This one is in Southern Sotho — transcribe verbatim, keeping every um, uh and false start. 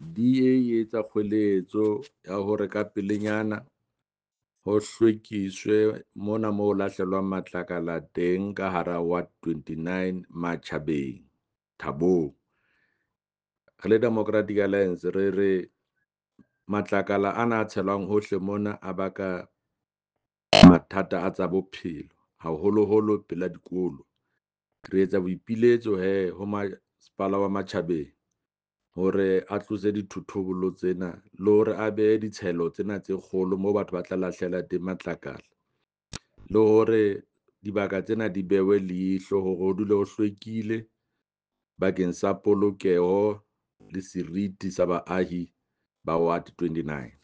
D A e etsa kgoeletso ya hore ka pelenyana ho hlwekiswe mona mo ho lahlelwang matlakala teng ka hara ward twenty nine Matjhabeng Thabong. Re le Democratic Alliance re re matlakala ana a tshelwang hohle mona a baka mathata a tsa bophelo, haholoholo pela dikolo. Re etsa boipiletso hee ho masepala wa Matjhabeng hore a tlose dithothobolo tsena le hore a behe ditshelo tsena tse kgolo moo batho ba tla lahlela teng matlakala, le hore dibaka tsena di behwe leihlo hore ho dule ho hlwekile bakeng sa polokeho le seriti sa baahi ba ward twenty-nine.